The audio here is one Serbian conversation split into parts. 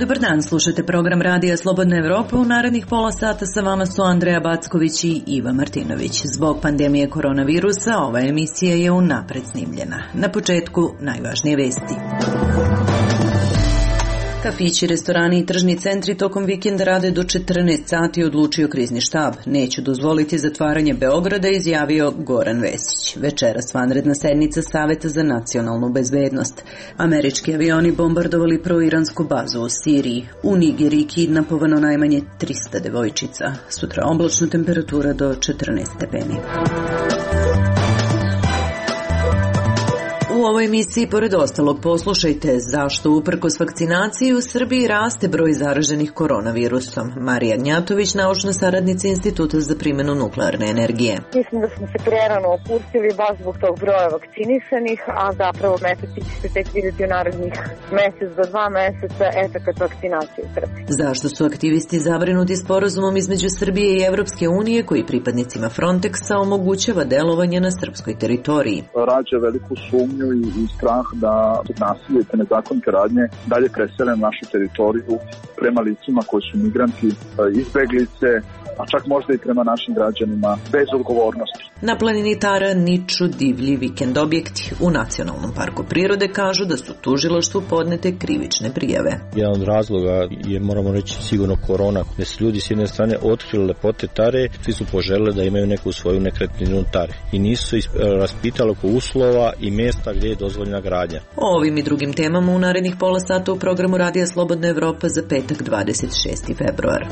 Dobar dan, slušate program Radija Slobodna Evropa. U narednih pola sata sa vama su Andreja Backović i Iva Martinović. Zbog pandemije koronavirusa ova emisija je unapred snimljena. Na početku najvažnije vesti. Kafići, restorani i tržni centri tokom vikenda rade do 14 sati, odlučio krizni štab. Neću dozvoliti zatvaranje Beograda, izjavio Goran Vesić. Večeras vanredna sednica Saveta za nacionalnu bezbednost. Američki avioni bombardovali proiransku bazu u Siriji. U Nigeriji kidnapovano najmanje 300 devojčica. Sutra oblačna temperatura do 14 stepeni. U ovoj emisiji, pored ostalog, poslušajte zašto uprkos vakcinaciji u Srbiji raste broj zaraženih koronavirusom. Marija Gnjatović, naučna saradnica Instituta za primjenu nuklearne energije. Mislim da smo se prerano opustili baš zbog tog broja vakcinisanih, a zapravo efekti će se tek vidjeti u narednih mesec do 2 meseca efekat vakcinacije u Srbiji. Zašto su aktivisti zabrinuti sporazumom između Srbije i Evropske unije koji pripadnicima Frontexa omogućava delovanje na srpskoj teritoriji? Rađa veliku sumnju i strah da nasilje te nezakonite radnje dalje presele na našu teritoriju prema licima koji su migranti, izbeglice, a čak možda i prema našim građanima bez odgovornosti. Na planini Tara niču divlji vikend objekti. U Nacionalnom parku prirode kažu da su tužilaštvu podnete krivične prijave. Jedan od razloga je, moramo reći, sigurno korona, gde su ljudi s jedne strane otkrili lepote Tare, svi su poželeli da imaju neku svoju nekretninu Tare i nisu raspitali oko uslova i mjesta gdje je dozvoljena gradnja. O ovim i drugim temama u narednih pola sata u programu Radija Slobodna Evropa za petak 26. februar.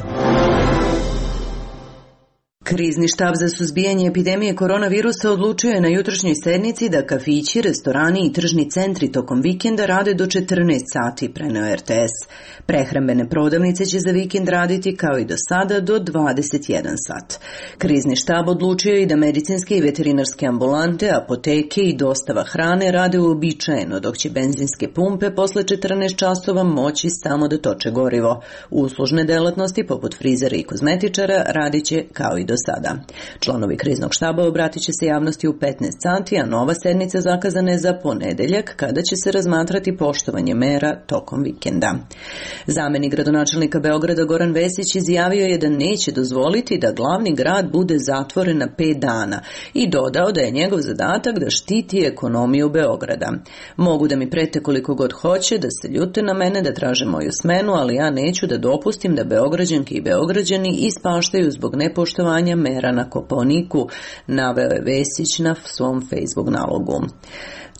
Krizni štab za suzbijanje epidemije koronavirusa odlučio je na jutrošnjoj sednici da kafići, restorani i tržni centri tokom vikenda rade do 14 sati, preneo RTS. Prehrambene prodavnice će za vikend raditi kao i do sada do 21 sat. Krizni štab odlučio i da medicinske i veterinarske ambulante, apoteke i dostava hrane rade uobičajeno, dok će benzinske pumpe posle 14 časova moći samo da toče gorivo. Uslužne delatnosti poput frizera i kozmetičara radit će kao i do sada. Članovi kriznog štaba obratit će se javnosti u 15 sati, a nova sednica zakazana je za ponedeljak, kada će se razmatrati poštovanje mera tokom vikenda. Zamenik gradonačelnika Beograda Goran Vesić izjavio je da neće dozvoliti da glavni grad bude zatvoren na 5 dana i dodao da je njegov zadatak da štiti ekonomiju Beograda. Mogu da mi prete koliko god hoće, da se ljute na mene, da traže moju smenu, ali ja neću da dopustim da Beograđanke i Beograđani ispaštaju zbog nepoštovanja mera na Kopaoniku, naveo je Vesić na svom Facebook nalogu.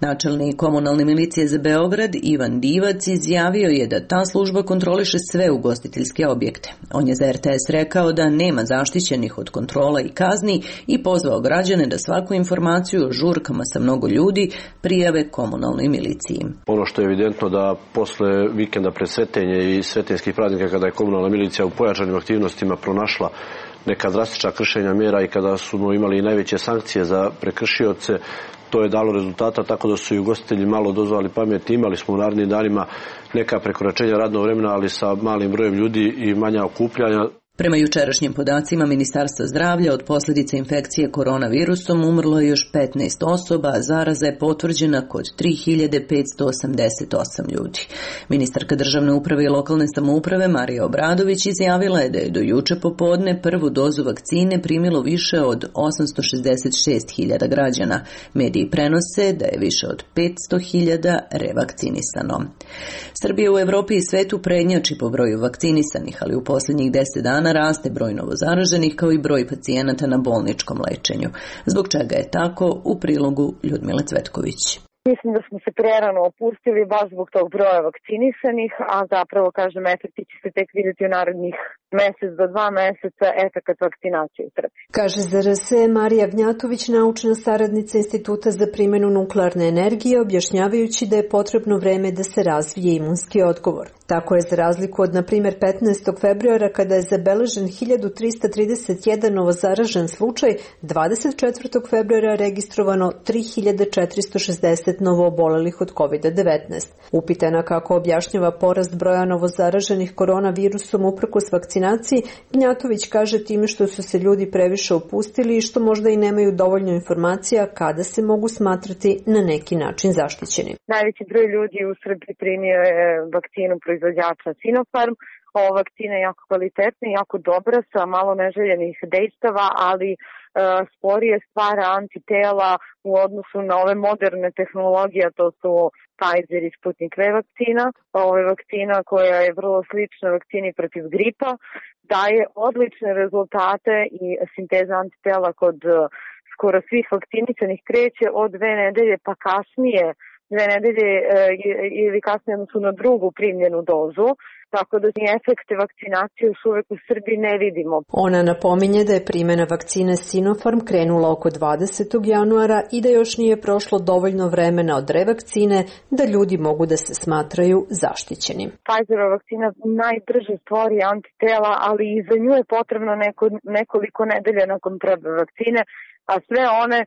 Načelnik komunalne milicije za Beograd Ivan Divac izjavio je da ta služba kontroliše sve ugostiteljske objekte. On je za RTS rekao da nema zaštićenih od kontrola i kazni i pozvao građane da svaku informaciju o žurkama sa mnogo ljudi prijave komunalnoj miliciji. Ono što je evidentno da posle vikenda pred Svetenje i svetenjskih praznika, kada je komunalna milicija u pojačanim aktivnostima pronašla neka drastična kršenja mjera i kada smo imali najveće sankcije za prekršioce, to je dalo rezultata, tako da su i ugostitelji malo dozvali pameti. Imali smo u narednim danima neka prekoračenja radnog vremena, ali sa malim brojem ljudi i manja okupljanja. Prema jučerašnjim podacima Ministarstva zdravlja od posljedica infekcije koronavirusom umrlo je još 15 osoba, a zaraza je potvrđena kod 3588 ljudi. Ministarka državne uprave i lokalne samouprave Marija Obradović izjavila je da je do juče popodne prvu dozu vakcine primilo više od 866.000 građana. Mediji prenose da je više od 500.000 revakcinisano. Srbija u Evropi i svetu prednjači po broju vakcinisanih, ali u posljednjih 10 dana raste broj novozaraženih kao i broj pacijenata na bolničkom lečenju. Zbog čega je tako, u prilogu Ljudmile Cvetković. Mislim da smo se prerano opustili baš zbog tog broja vakcinisanih, a zapravo, kažem, efekti će se tek vidjeti u narednih mesec do 2 meseca efekat vakcinacije u Srbiji. Kaže za RS Marija Gnjatović, naučna saradnica Instituta za primjenu nuklearne energije, objašnjavajući da je potrebno vreme da se razvije imunski odgovor. Tako je za razliku od, na primjer, 15. februara kada je zabeležen 1331 novozaražen slučaj, 24. februara registrovano 3460 novoobolelih od COVID-19. Upitana kako objašnjava porast broja novozaraženih koronavirusom uprkos vakcinaciji, Gnjatović kaže time što su se ljudi previše opustili i što možda i nemaju dovoljno informacija kada se mogu smatrati na neki način zaštićeni. Najveći broj ljudi u Srbiji primio je vakcinu proizvođača Sinopharm. Ova vakcina je jako kvalitetna i jako dobra sa malo neželjenih dejstava, ali sporije stvara antitela u odnosu na ove moderne tehnologije, to su Pfizer i Sputnik V vakcina. Ovo je vakcina koja je vrlo slična vakcini protiv gripa, daje odlične rezultate i sinteza antitela kod skoro svih vakcinisanih kreće od 2 nedelje pa kasnije, 2 nedelje ili kasnije su na drugu primljenu dozu, tako da efekte vakcinacije još uvek u Srbiji ne vidimo. Ona napominje da je primjena vakcine Sinopharm krenula oko 20. januara i da još nije prošlo dovoljno vremena od revakcine da ljudi mogu da se smatraju zaštićenim. Pfizerova vakcina najbrže stvori antitela, ali i za nju je potrebno nekoliko nedelja nakon prve vakcine, a sve one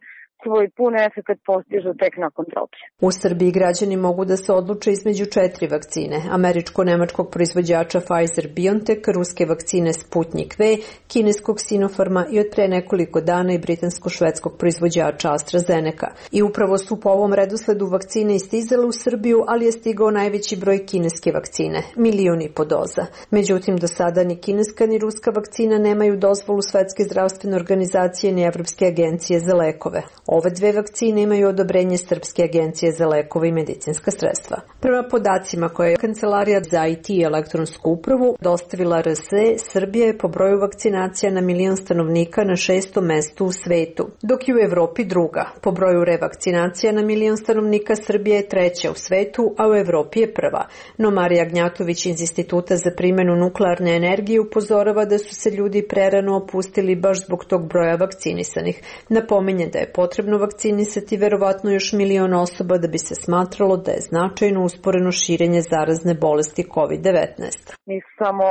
svoj pun efekt postižu tek nakon druge. U Srbiji građani mogu da se odluče između 4 vakcine: američko-nemačkog proizvođača Pfizer-BioNTech, ruske vakcine Sputnik V, kineskog Sinopharma i od pre nekoliko dana i britansko-švedskog proizvođača AstraZeneca. I upravo su po ovom redosledu vakcine istizale u Srbiju, ali je stigao najveći broj kineske vakcine, 1,5 miliona doza. Međutim, do sada ni kineska ni ruska vakcina nemaju dozvolu Svetske zdravstvene organizacije ni Evropske agencije za lekove. Ove 2 vakcine imaju odobrenje Srpske agencije za lekove i medicinska sredstva. Prema podacima koje je Kancelarija za IT i elektronsku upravu dostavila RSE, Srbija je po broju vakcinacija na 1 milion stanovnika na 6. mestu u svetu, dok je u Evropi druga. Po broju revakcinacija na 1 milion stanovnika Srbija je 3. u svetu, a u Evropi je 1. No Marija Gnjatović iz Instituta za primjenu nuklearne energije upozorava da su se ljudi prerano opustili baš zbog tog broja vakcinisanih. Napominje da je potrebno vakcinisati verovatno još 1 milion osoba da bi se smatralo da je značajno usporeno širenje zarazne bolesti COVID-19. Nisu samo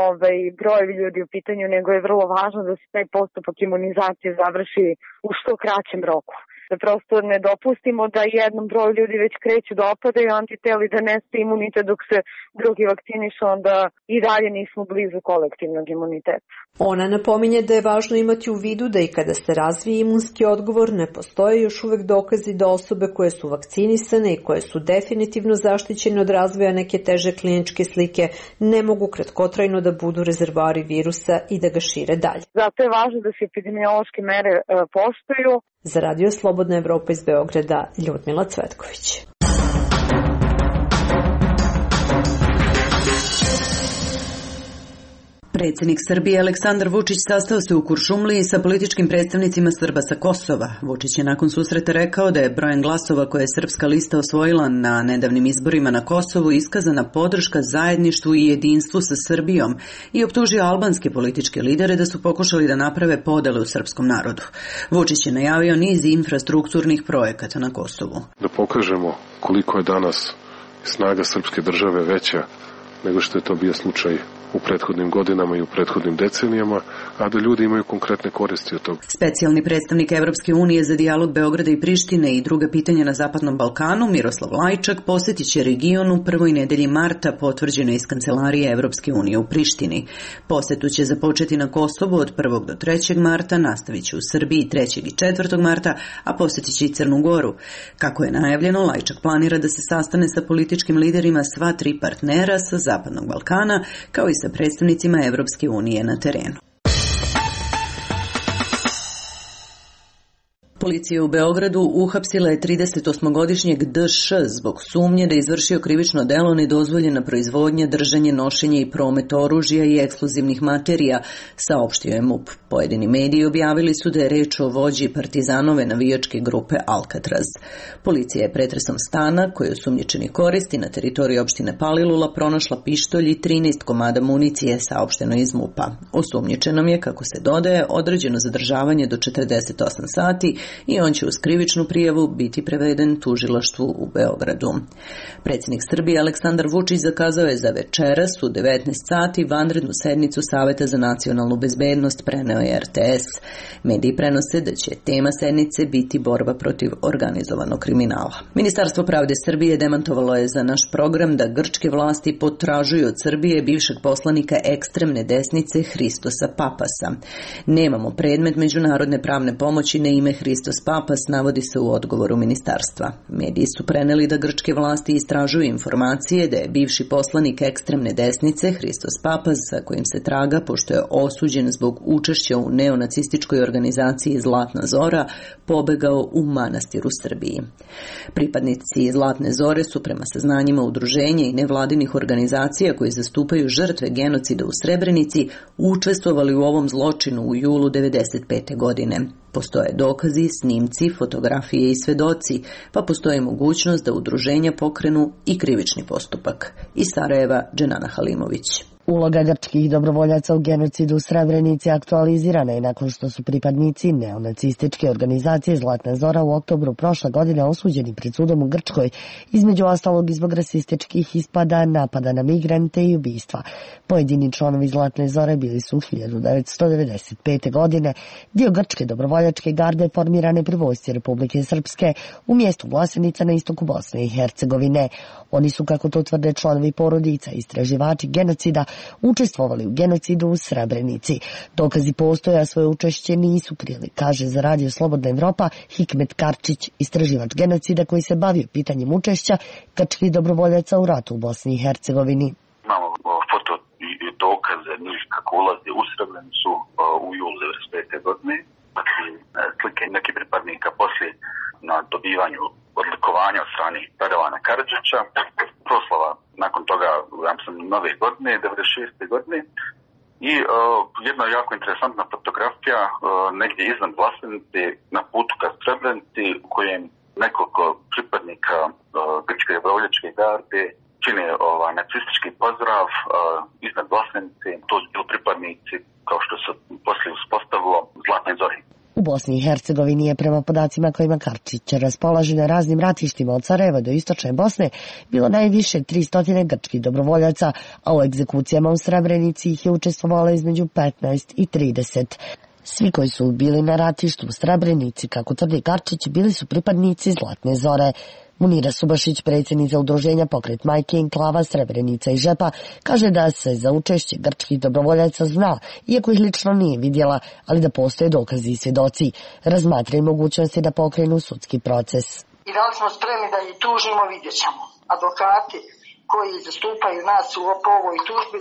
brojevi ljudi u pitanju, nego je vrlo važno da se taj postupak imunizacije završi u što kraćem roku. Da prosto ne dopustimo da jednom broju ljudi već kreću da opadaju antiteli, da neste imunitet dok se drugi vakcinišu, onda i dalje nismo blizu kolektivnog imuniteta. Ona napominje da je važno imati u vidu da i kada se razvije imunski odgovor ne postoje još uvek dokazi da osobe koje su vakcinisane i koje su definitivno zaštićene od razvoja neke teže kliničke slike ne mogu kratkotrajno da budu rezervari virusa i da ga šire dalje. Zato je važno da se epidemiološke mere poštuju. Za Radio Slobodna Evropa iz Beograda, Ljudmila Cvetković. Predsjednik Srbije Aleksandar Vučić sastao se u Kuršumliji sa političkim predstavnicima Srba sa Kosova. Vučić je nakon susreta rekao da je brojem glasova koje je srpska lista osvojila na nedavnim izborima na Kosovu iskazana podrška zajedništvu i jedinstvu sa Srbijom i optužio albanske političke lidere da su pokušali da naprave podele u srpskom narodu. Vučić je najavio niz infrastrukturnih projekata na Kosovu. Da pokažemo koliko je danas snaga srpske države veća nego što je to bio slučaj u prethodnim godinama i u prethodnim decenijama, a da ljudi imaju konkretne koristi od toga. Specijalni predstavnik Evropske unije za dijalog Beograda i Prištine i druga pitanja na Zapadnom Balkanu, Miroslav Lajčak, posjetit će region u prvoj nedelji marta, potvrđeno iz Kancelarije Evropske unije u Prištini. Posjetu će započeti na Kosovu od 1. do 3. marta, nastavit će u Srbiji 3. i 4. marta, a posjetit će i Crnu Goru. Kako je najavljeno, Lajčak planira da se sastane sa političkim liderima sva 3 partnera sa Zapadnog Balkana, kao i sa predstavnicima Evropske unije na terenu. Policija u Beogradu uhapsila je 38-godišnjeg D.Š. zbog sumnje da je izvršio krivično delo nedozvoljena proizvodnja, držanje, nošenje i promet oružja i eksplozivnih materija, saopštio je MUP. Pojedini mediji objavili su da je reč o vođi partizanove navijačke grupe Alcatraz. Policija je pretresom stana, koji osumnjičeni koristi na teritoriji opštine Palilula, pronašla pištolj i 13 komada municije, saopšteno iz MUP-a. Osumnjičenom je, kako se dodaje, određeno zadržavanje do 48 sati i on će uz krivičnu prijavu biti preveden tužilaštvu u Beogradu. Predsjednik Srbije Aleksandar Vučić zakazao je za večeras u 19 sati vanrednu sednicu Saveta za nacionalnu bezbednost, preneo je RTS. Mediji prenose da će tema sednice biti borba protiv organizovanog kriminala. Ministarstvo pravde Srbije demantovalo je za naš program da grčke vlasti potražuju od Srbije bivšeg poslanika ekstremne desnice Hristosa Papasa. Nemamo predmet međunarodne pravne pomoći na ime Hristos Papas, navodi se u odgovoru ministarstva. Mediji su preneli da grčke vlasti istražuju informacije da je bivši poslanik ekstremne desnice Hristos Papas, za kojim se traga pošto je osuđen zbog učešća u neonacističkoj organizaciji Zlatna Zora, pobegao u manastir u Srbiji. Pripadnici Zlatne Zore su prema saznanjima udruženja i nevladinih organizacija koji zastupaju žrtve genocida u Srebrenici učestvovali u ovom zločinu u julu 1995. godine. Postoje dokazi, snimci, fotografije i svedoci, pa postoji mogućnost da udruženja pokrenu i krivični postupak. Iz Sarajeva, Dženana Halimović. Uloga grčkih dobrovoljaca u genocidu u Srebrenici aktualizirana je nakon što su pripadnici neonacističke organizacije Zlatna Zora u oktobru prošle godine osuđeni pred sudom u Grčkoj, između ostalog i zbog rasističkih ispada, napada na migrante i ubistva. Pojedini članovi Zlatne Zore bili su 1995. godine dio grčke dobrovoljačke garde formirane pri vojsci Republike Srpske u mjestu Vlasenica na istoku Bosne i Hercegovine. Oni su, kako to tvrde članovi porodica i istraživači genocida, učestvovali u genocidu u Srebrenici. Dokazi postoje, a svoje učešće nisu krili, kaže za Radio Slobodna Evropa Hikmet Karčić, istraživač genocida koji se bavio pitanjem učešća grčkih dobrovoljaca u ratu u Bosni i Hercegovini. Imamo foto i dokaze njih kako ulaze u Srebrenicu u julu 1995. godine. Slike nekih pripadnika poslije na dobivanju odlikovanja od strane Radovana Karadžića, proslava nakon toga, ja mislim, nove godine, 96. godine. I jedna jako interesantna fotografija negdje iznad Vlasenice na putu ka Srebrenici u kojem nekoliko pripadnika grčke dobrovoljačke garde čine nacistički pozdrav iznad Vlasenice. To su bili pripadnici, kao što se poslije uspostavilo, Zlatne Zore. U Bosni i Hercegovini je prema podacima kojima Karčić raspolaže na raznim ratištima od Sarajeva do istočne Bosne bilo najviše 300 grčkih dobrovoljaca, a u egzekucijama u Srebrenici ih je učestvovalo između 15 i 30. Svi koji su bili na ratištu u Srebrenici, kako tvrdi Karčić, bili su pripadnici Zlatne Zore. Munira Subašić, predsjednica udruženja Pokret majke Enklava Srebrenica i Žepa, kaže da se za učešće grčkih dobrovoljaca zna, iako ih lično nije vidjela, ali da postoje dokazi i svjedoci. Razmatraju mogućnosti da pokrenu sudski proces. I da li smo spremni da ih tužimo, vidjet ćemo. Advokati koji zastupaju nas po ovoj tužbi,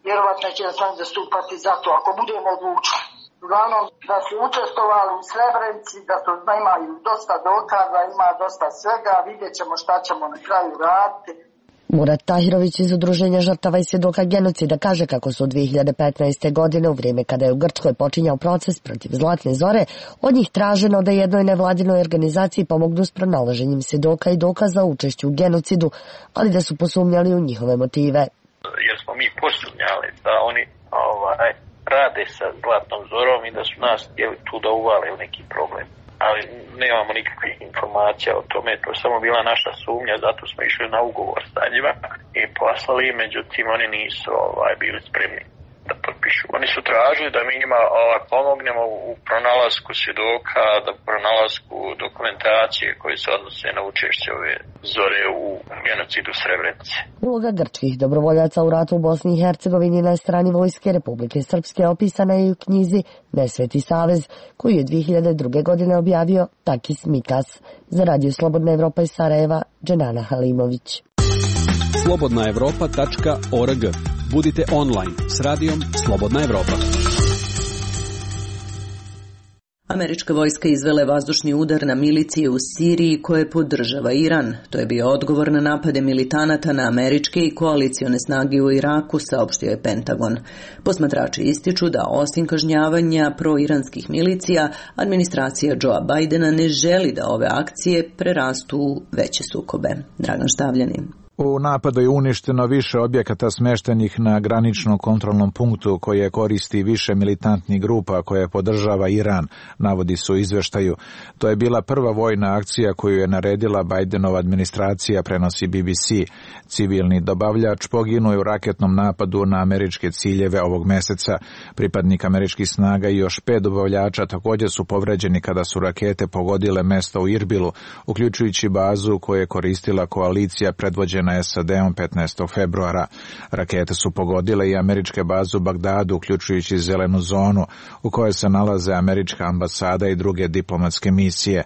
vjerovatno će nas oni zastupati za to, ako budemo odlučili. Uglavnom, da su učestvovali u Srebrenici, da su imaju dosta dokaza, ima dosta svega, vidjet ćemo šta ćemo na kraju raditi. Murat Tahirović iz udruženja žrtava i svjedoka genocida kaže kako su 2015. godine, u vrijeme kada je u Grčkoj počinjao proces protiv Zlatne Zore, od njih traženo da jednoj nevladinoj organizaciji pomognu s pronalaženjem svjedoka i dokaza o učešću u genocidu, ali da su posumnjali u njihove motive. Jer smo mi posumnjali da oni rade sa Zlatnom Zorom i da su nas htjeli tu da uvale u neki problem. Ali nemamo nikakvih informacija o tome, to je samo bila naša sumnja, zato smo išli na ugovor sa njima i poslali, međutim oni nisu bili spremni da potpišu. Oni su tražili da mi njima pomognemo u pronalasku svjedoka, da pronalasku dokumentacije koje se odnose na učešće ove Zore u genocidu Srebrenice. Uloga grčkih dobrovoljaca u ratu u Bosni i Hercegovini na strani vojske Republike Srpske opisana je u knjizi Nesveti savez, koju je 2002. godine objavio Takis Mikas. Za Radio Slobodna Evropa iz Sarajeva, Dženana Halimović. slobodnaevropa.org. Budite online s radijom Slobodna Evropa. Američka vojska izvela je vazdušni udar na milicije u Siriji koje podržava Iran. To je bio odgovor na napade militanata na američke i koalicione snage u Iraku, saopštio je Pentagon. Posmatrači ističu da osim kažnjavanja proiranskih milicija, administracija Joea Bidena ne želi da ove akcije prerastu u veće sukobe. Dragan Štavljanin. U napadu je uništeno više objekata smeštenih na graničnom kontrolnom punktu koje koristi više militantnih grupa koje podržava Iran, navodi se u izveštaju. To je bila prva vojna akcija koju je naredila Bidenova administracija, prenosi BBC. Civilni dobavljač poginuo je u raketnom napadu na američke ciljeve ovog meseca. Pripadnik američkih snaga i još 5 dobavljača također su povređeni kada su rakete pogodile mesto u Irbilu, uključujući bazu koju je koristila koalicija predvođena SAD-om 15. februara. Rakete su pogodile i američke baze u Bagdadu, uključujući zelenu zonu u kojoj se nalaze američka ambasada i druge diplomatske misije.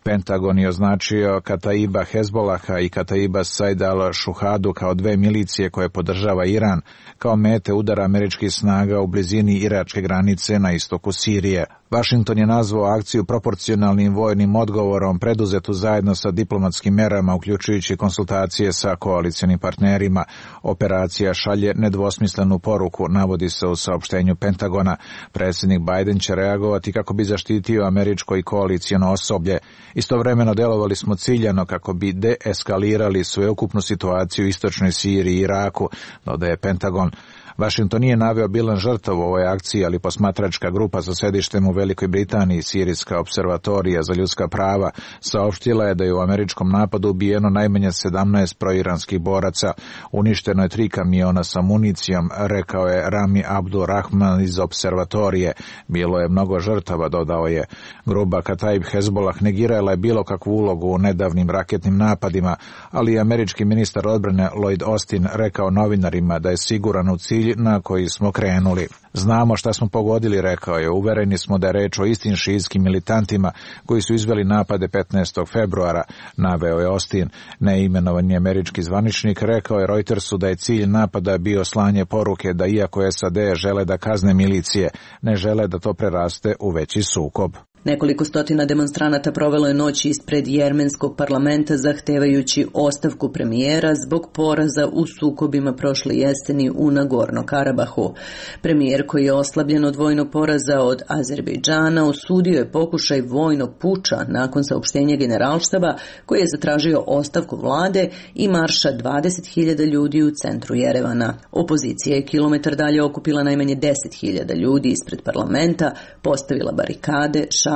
Pentagon je označio Kataiba Hezbolaha i Kataiba Said al-Shuhadu kao dve milicije koje podržava Iran kao mete udara američkih snaga u blizini iračke granice na istoku Sirije. Washington je nazvao akciju proporcionalnim vojnim odgovorom preduzetu zajedno sa diplomatskim merama, uključujući konsultacije sa koalicionim partnerima. Operacija šalje nedvosmislenu poruku, navodi se u saopštenju Pentagona. Predsjednik Biden će reagovati kako bi zaštitio američko i koalicijono osoblje. Istovremeno delovali smo ciljano kako bi deeskalirali sveukupnu situaciju u istočnoj Siriji i Iraku, dodaje Pentagon. Washington nije naveo bilan žrtava u ovoj akciji, ali posmatračka grupa sa sedištem u Velikoj Britaniji, Sirijska observatorija za ljudska prava, saopštila je da je u američkom napadu ubijeno najmanje 17 proiranskih boraca. Uništeno je 3 kamiona sa municijom, rekao je Rami Abdul Rahman iz observatorije. Bilo je mnogo žrtava, dodao je. Grupa Kataib Hezbollah negirala je bilo kakvu ulogu u nedavnim raketnim napadima, ali je američki ministar odbrane Lloyd Austin rekao novinarima da je siguran u cilj na koji smo krenuli. Znamo šta smo pogodili, rekao je. Uvereni smo da je reč o istim šijitskim militantima koji su izveli napade 15. februara, naveo je Austin. Neimenovani američki zvaničnik rekao je Reutersu da je cilj napada bio slanje poruke da iako SAD žele da kazne milicije, ne žele da to preraste u veći sukob. Nekoliko stotina demonstranata provelo je noć ispred jermenskog parlamenta zahtevajući ostavku premijera zbog poraza u sukobima prošle jeseni u Nagorno-Karabahu. Premijer, koji je oslabljen od vojnog poraza od Azerbejdžana, osudio je pokušaj vojnog puča nakon saopštenja generalštaba koji je zatražio ostavku vlade i marša 20.000 ljudi u centru Jerevana. Opozicija je kilometar dalje okupila najmanje 10.000 ljudi ispred parlamenta, postavila barikade, šatore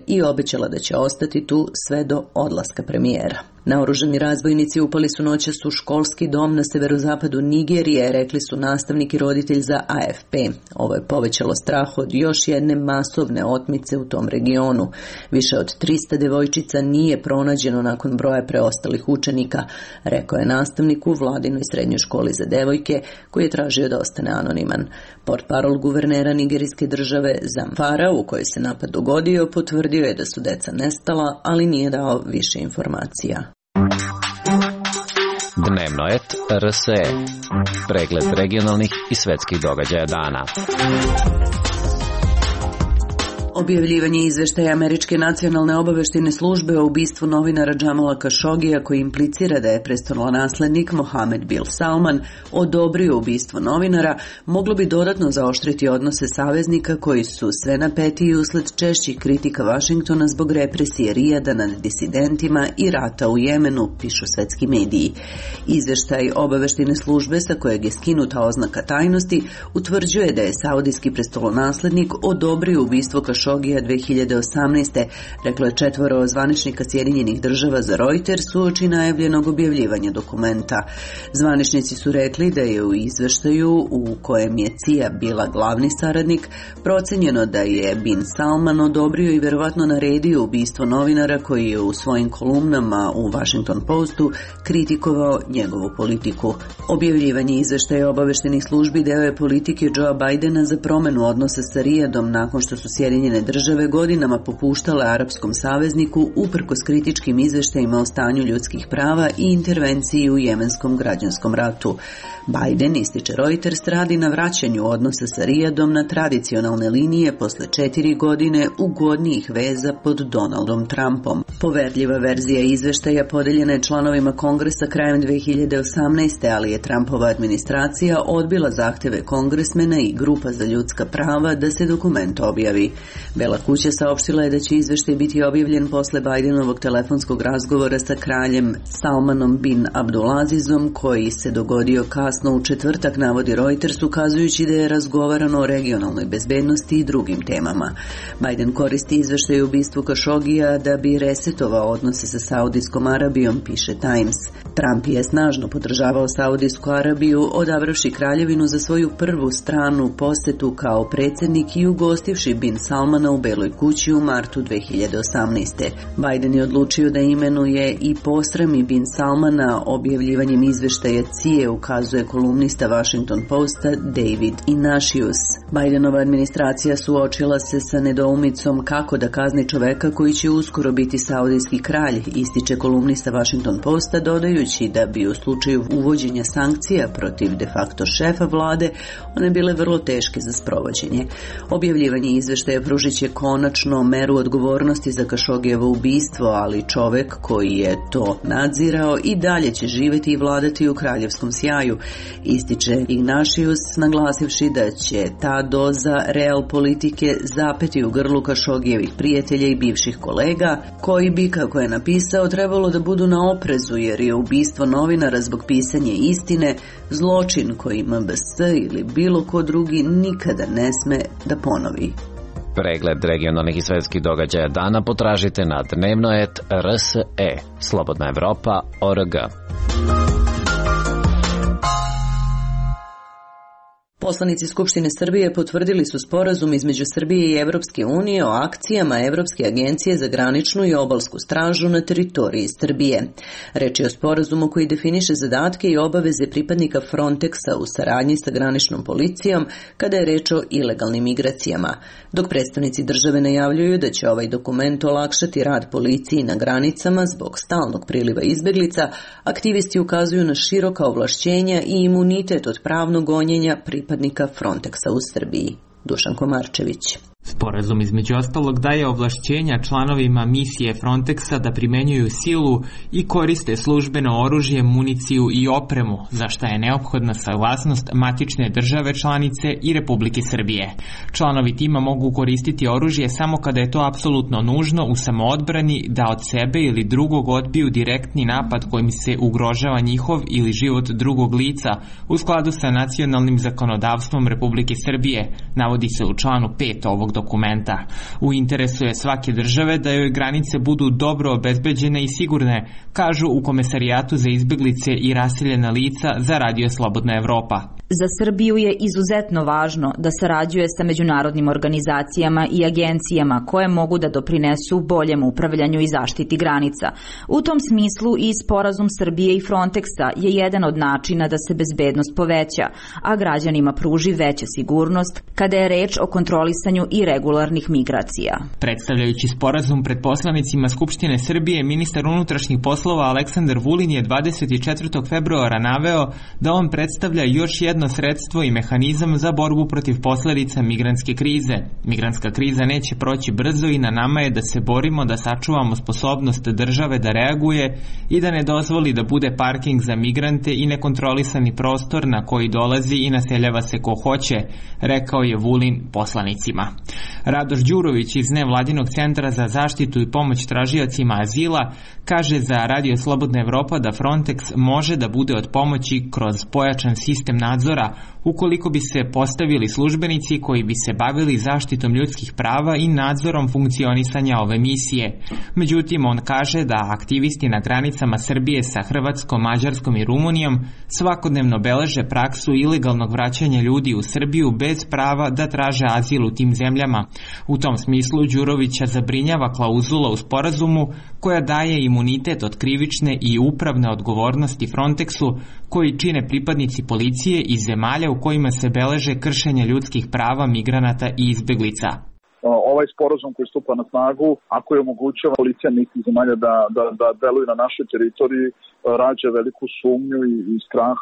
i obećala da će ostati tu sve do odlaska premijera. Naoružani razbojnici upali su noćas u školski dom na severozapadu Nigerije, rekli su nastavnik i roditelj za AFP. Ovo je povećalo strah od još jedne masovne otmice u tom regionu. Više od 300 devojčica nije pronađeno nakon broja preostalih učenika, rekao je nastavnik u vladinoj srednjoj školi za devojke, koji je tražio da ostane anoniman. Portparol guvernera nigerijske države Zamfara, u kojoj se napad dogodio, potvrdio je da su deca nestala, ali nije dao više informacija. Dnevno et RSE. Pregled regionalnih i svetskih događaja dana. Objavljivanje izveštaja Američke nacionalne obaveštajne službe o ubistvu novinara Jamala Khashogija, koji implicira da je prestolonaslednik Mohammed bin Salman odobrio ubistvo novinara, moglo bi dodatno zaoštriti odnose saveznika koji su sve napetiji usled češćih kritika Vašingtona zbog represije Rijada nad disidentima i rata u Jemenu, pišu svetski mediji. Izveštaj obaveštajne službe, sa kojeg je skinuta oznaka tajnosti, utvrđuje da je saudijski prestolonaslednik odobrio ubistvo Khashogija 2018. reklo je 4 zvaničnika Sjedinjenih država za Reuters uoči najavljenog objavljivanja dokumenta. Zvaničnici su rekli da je u izveštaju, u kojem je CIA bila glavni saradnik, procenjeno da je bin Salman odobrio i verovatno naredio ubistvo novinara koji je u svojim kolumnama u Washington Postu kritikovao njegovu politiku. Objavljivanje izveštaja obaveštenih službi deo je politike Joea Bidena za promenu odnosa sa Rijadom nakon što su Sjedinjene Sjedinjene države godinama popuštale arapskom savezniku uprkos kritičkim izveštajima o stanju ljudskih prava i intervenciji u jemenskom građanskom ratu. Biden, ističe Reuters, radi na vraćanju odnosa sa Rijadom na tradicionalne linije posle 4 godine ugodnijih veza pod Donaldom Trumpom. Poverljiva verzija izveštaja podeljena je članovima Kongresa krajem 2018. ali je Trumpova administracija odbila zahteve kongresmena i grupa za ljudska prava da se dokument objavi. Bela kuća saopštila je da će izveštaj biti objavljen posle Bidenovog telefonskog razgovora sa kraljem Salmanom bin Abdulazizom, koji se dogodio kasno u četvrtak, navodi Reuters, ukazujući da je razgovarano o regionalnoj bezbednosti i drugim temama. Biden koristi izveštaj o ubistvu Kašogija da bi resetovao odnose sa Saudijskom Arabijom, piše Times. Trump je snažno podržavao Saudijsku Arabiju, odabravši kraljevinu za svoju prvu stranu posetu kao predsjednik i ugostivši bin Salmana u Beloj kući u martu 2018. Biden je odlučio da imenuje i posrami bin Salmana objavljivanjem izveštaja CIA, ukazuje kolumnista Washington Posta David Ignatius. Bidenova administracija suočila se sa nedoumicom kako da kazni čoveka koji će uskoro biti saudijski kralj, ističe kolumnista Washington Posta, dodajući da bi u slučaju uvođenja sankcija protiv de facto šefa vlade one bile vrlo teške za sprovođenje. Objavljivanje izveštaja pružit će konačno meru odgovornosti za Kašogijevo ubistvo, ali čovek koji je to nadzirao i dalje će živjeti i vladati u kraljevskom sjaju, ističe Ignatius, naglasivši da će ta doza real politike zapeti u grlu Kašogijevih prijatelja i bivših kolega, koji bi, kako je napisao, trebalo da budu na oprezu jer je ubistvo novinara zbog pisanja istine zločin koji MBS ili bilo ko drugi nikada ne sme da ponovi. Pregled regionalnih i svetskih događaja dana potražite na dnevnoet.rse. Slobodna Evropa.org. Poslanici Skupštine Srbije potvrdili su sporazum između Srbije i Evropske unije o akcijama Evropske agencije za graničnu i obalsku stražu na teritoriji Srbije. Reč je o sporazumu koji definiše zadatke i obaveze pripadnika Frontexa u saradnji sa graničnom policijom kada je reč o ilegalnim migracijama. Dok predstavnici države najavljuju da će ovaj dokument olakšati rad policiji na granicama zbog stalnog priliva izbeglica, aktivisti ukazuju na široka ovlašćenja i imunitet od pravnog gonjenja pripadnika Frontexa u Srbiji. Dušan Komarčević. Sporazum između ostalog daje ovlašćenja članovima misije Frontexa da primenjuju silu i koriste službeno oružje, municiju i opremu, za šta je neophodna saglasnost matične države članice i Republike Srbije. Članovi tima mogu koristiti oružje samo kada je to apsolutno nužno u samoodbrani da od sebe ili drugog odbiju direktni napad kojim se ugrožava njihov ili život drugog lica u skladu sa nacionalnim zakonodavstvom Republike Srbije, navodi se u članu 5 ovog dokumenta. U interesu je svake države da joj granice budu dobro obezbeđene i sigurne, kažu u Komesarijatu za izbeglice i raseljena lica za Radio Slobodna Evropa. Za Srbiju je izuzetno važno da sarađuje sa međunarodnim organizacijama i agencijama koje mogu da doprinesu boljem upravljanju i zaštiti granica. U tom smislu i sporazum Srbije i Frontexa je jedan od načina da se bezbednost poveća, a građanima pruži veća sigurnost kada je reč o kontrolisanju i regularnih migracija. Predstavljajući sporazum pred poslanicima Skupštine Srbije, ministar unutrašnjih poslova Aleksandar Vulin je 24. februara naveo da on predstavlja još jedno sredstvo i mehanizam za borbu protiv posledica migrantske krize. Migrantska kriza neće proći brzo i na nama je da se borimo da sačuvamo sposobnost države da reaguje i da ne dozvoli da bude parking za migrante i nekontrolisani prostor na koji dolazi i naseljava se ko hoće, rekao je Vulin poslanicima. Radoš Đurović iz Nevladinog centra za zaštitu i pomoć tražiocima azila kaže za Radio Slobodna Evropa da Frontex može da bude od pomoći kroz pojačan sistem nadzora ukoliko bi se postavili službenici koji bi se bavili zaštitom ljudskih prava i nadzorom funkcionisanja ove misije. Međutim, on kaže da aktivisti na granicama Srbije sa Hrvatskom, Mađarskom i Rumunijom svakodnevno beleže praksu ilegalnog vraćanja ljudi u Srbiju bez prava da traže azil u tim zemljama. U tom smislu Đurovića zabrinjava klauzula u sporazumu koja daje imunitet od krivične i upravne odgovornosti Frontexu koji čine pripadnici policije iz zemalja u kojima se beleže kršenje ljudskih prava migranata i izbeglica. ovaj sporazum koji stupa na snagu, ako je omogućava policija nekih zemalja da deluju na našoj teritoriji, rađa veliku sumnju i strah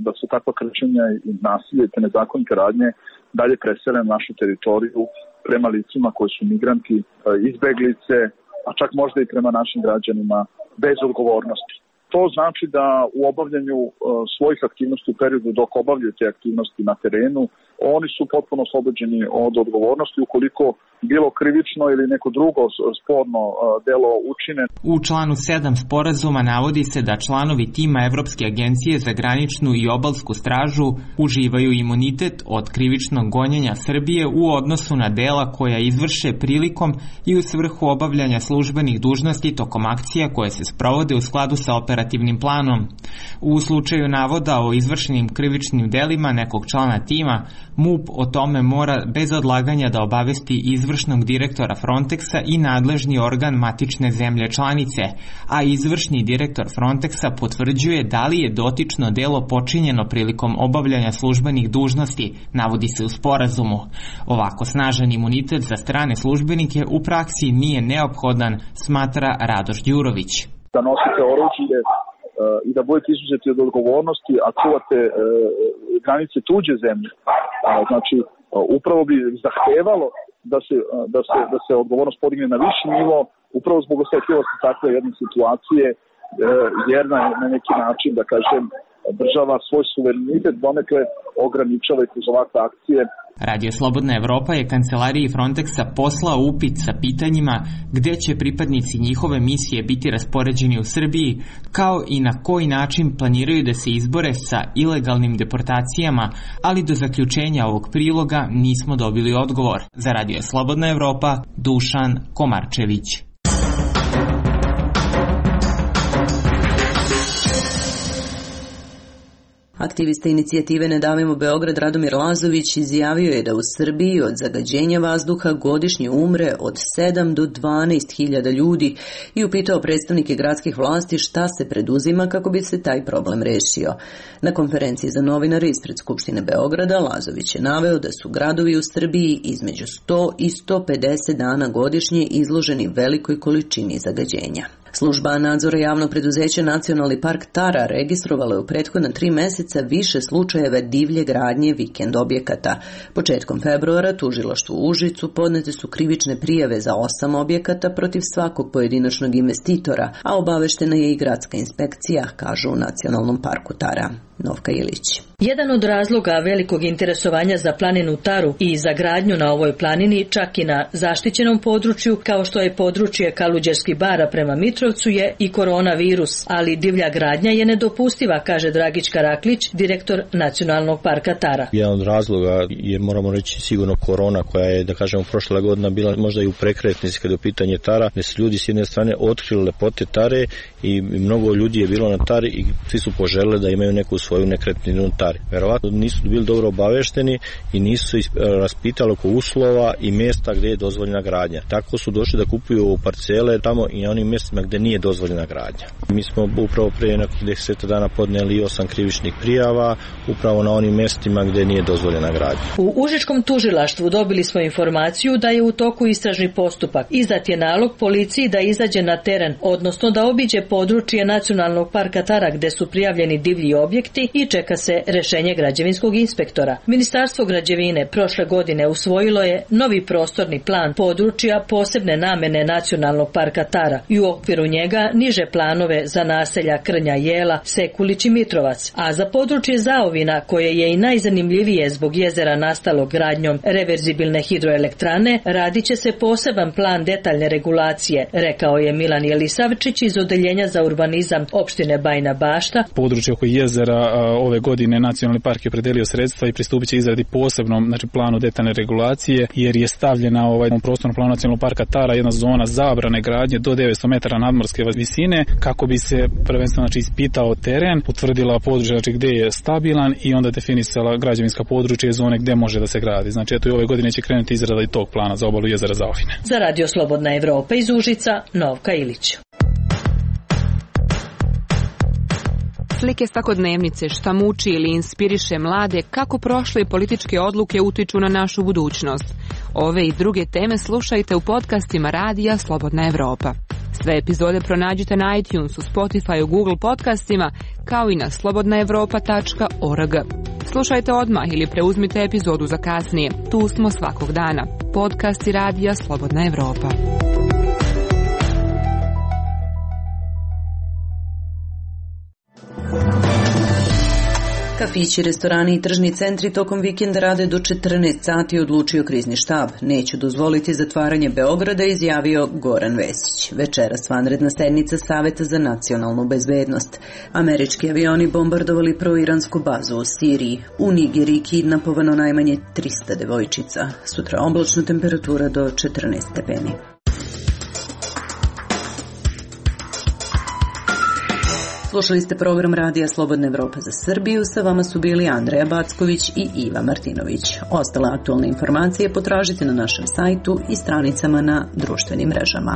da su takva kršenja i nasilje te nezakonite radnje dalje presele na našu teritoriju prema licima koji su migranti, izbeglice, a čak možda i prema našim građanima bez odgovornosti. To znači da u obavljanju svojih aktivnosti u periodu dok obavljaju te aktivnosti na terenu, oni su potpuno oslobođeni od odgovornosti ukoliko bilo krivično ili neko drugo sporno delo učine. U članu 7 sporazuma navodi se da članovi tima Evropske agencije za graničnu i obalsku stražu uživaju imunitet od krivičnog gonjenja Srbije u odnosu na dela koja izvrše prilikom i u svrhu obavljanja službenih dužnosti tokom akcija koje se sprovode u skladu sa operativnim planom. U slučaju navoda o izvršenim krivičnim delima nekog člana tima, MUP o tome mora bez odlaganja da obavesti izvršnog direktora Frontexa i nadležni organ matične zemlje članice, a izvršni direktor Frontexa potvrđuje da li je dotično delo počinjeno prilikom obavljanja službenih dužnosti, navodi se u sporazumu. Ovako snažan imunitet za strane službenike u praksi nije neophodan, smatra Radoš Đurović. Da nosite oružje i da budete izuzeti od odgovornosti, a čuvate granice tuđe zemlje. Znači, upravo bi zahtevalo da se odgovornost podigne na viši nivo, upravo zbog osetljivosti takve jedne situacije, jer na neki način, da kažem, država svoj suverenitet donekle ograničava i kroz ovakve akcije. Radio Slobodna Evropa je kancelariji Frontexa poslao upit sa pitanjima gde će pripadnici njihove misije biti raspoređeni u Srbiji, kao i na koji način planiraju da se izbore sa ilegalnim deportacijama, ali do zaključenja ovog priloga nismo dobili odgovor. Za Radio Slobodna Evropa, Dušan Komarčević. Aktivista inicijative Ne davimo Beograd Radomir Lazović izjavio je da u Srbiji od zagađenja vazduha godišnje umre od 7 do 12 hiljada ljudi i upitao predstavnike gradskih vlasti šta se preduzima kako bi se taj problem rešio. Na konferenciji za novinare ispred Skupštine Beograda Lazović je naveo da su gradovi u Srbiji između 100 i 150 dana godišnje izloženi velikoj količini zagađenja. Služba nadzora javnog preduzeća Nacionalni park Tara registrovala je u prethodna 3 meseca više slučajeva divlje gradnje vikend objekata. Početkom februara tužilaštvu u Užicu podnete su krivične prijave za 8 objekata protiv svakog pojedinačnog investitora, a obaveštena je i gradska inspekcija, kažu u Nacionalnom parku Tara. Novka Ilić. Jedan od razloga velikog interesovanja za planinu Taru i za gradnju na ovoj planini, čak i na zaštićenom području, kao što je područje Kaluđerskih bara prema Mitrovcu, je i koronavirus, ali divlja gradnja je nedopustiva, kaže Dragić Karaklić, direktor Nacionalnog parka Tara. Jedan od razloga je, moramo reći, sigurno korona, koja je, da kažemo, prošla godina bila možda i u prekretnici kada je u pitanje Tara, gde su ljudi s jedne strane otkrili lepote Tare i mnogo ljudi je bilo na Tari i svi su poželeli da imaju neku svoju nekretninu na Tari. Verovatno nisu bili dobro obavešteni i nisu se raspitali oko uslova i mjesta gdje je dozvoljena gradnja. Tako su došli da kupuju parcele tamo i na onim mjestima gdje nije dozvoljena gradnja. Mi smo upravo prije nekih 10 dana podneli 8 krivičnih prijava upravo na onim mjestima gdje nije dozvoljena gradnja. U Užičkom tužilaštvu dobili smo informaciju da je u toku istražni postupak. Izdat je nalog policiji da izađe na teren, odnosno da obiđe područje Nacionalnog parka Tara gdje su prijavljeni divlji objekti i čeka se rešenje građevinskog inspektora. Ministarstvo građevine prošle godine usvojilo je novi prostorni plan područja posebne namene Nacionalnog parka Tara i u okviru njega niže planove za naselja Krnja, Jela, Sekulić i Mitrovac, a za područje Zaovina, koje je i najzanimljivije zbog jezera nastalog gradnjom reverzibilne hidroelektrane, radit će se poseban plan detaljne regulacije, rekao je Milan Jelisavčić iz Odeljenja za urbanizam opštine Bajina Bašta. Područje oko jezera ove godine Nacionalni park je predelio sredstva i pristupit će izradi posebnom planu detaljne regulacije, jer je stavljena u prostornom planu Nacionalnog parka Tara jedna zona zabrane gradnje do 900 metara nadmorske visine, kako bi se prvenstveno ispitao teren, utvrdila područje gdje je stabilan i onda definisala građevinska područja i zone gdje može da se gradi. Znači, eto i ove godine će krenuti izrada i tog plana za obalu jezera Zaovine. Za Radio Slobodna Evropa iz Užica, Novka Ilić. Slike svakodnevnice, šta muči ili inspiriše mlade, kako prošle političke odluke utiču na našu budućnost. Ove i druge teme slušajte u podcastima Radija Slobodna Evropa. Sve epizode pronađite na iTunesu, Spotify, Google podcastima, kao i na slobodnaevropa.org. Slušajte odmah ili preuzmite epizodu za kasnije. Tu smo svakog dana. Podcasti Radija Slobodna Evropa. Kafići, restorani i tržni centri tokom vikenda rade do 14 sati, odlučio krizni štab. Neću dozvoliti zatvaranje Beograda, izjavio Goran Vesić. Večeras vanredna sednica Saveta za nacionalnu bezbednost. Američki avioni bombardovali proiransku bazu u Siriji. U Nigeriji kidnapovano najmanje 300 devojčica. Sutra oblačna, temperatura do 14 stepeni. Slušali ste program Radija Slobodna Evropa za Srbiju. Sa vama su bili Andreja Backović i Iva Martinović. Ostale aktualne informacije potražite na našem sajtu i stranicama na društvenim mrežama.